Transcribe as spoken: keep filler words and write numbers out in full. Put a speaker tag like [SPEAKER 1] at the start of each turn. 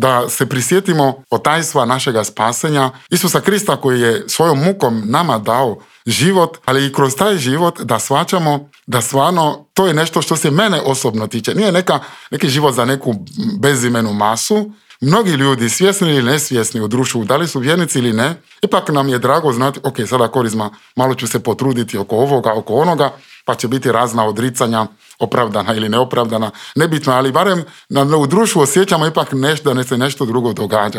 [SPEAKER 1] da se prisjetimo otajstva našega spasenja, Isusa Krista koji je svojom mukom nama dao život, ali i kroz taj život da shvaćamo da stvarno to je nešto što se mene osobno tiče. Nije neka, neki život za neku bezimenu masu. Mnogi ljudi, svjesni ili nesvjesni u društvu, da li su vjernici ili ne, ipak nam je drago znati, ok, sada Korizma, malo ću se potruditi oko ovoga, oko onoga, pa će biti razna odricanja, opravdana ili neopravdana, nebitno, ali barem na, u društvu osjećamo ipak nešto, da ne se nešto drugo događa.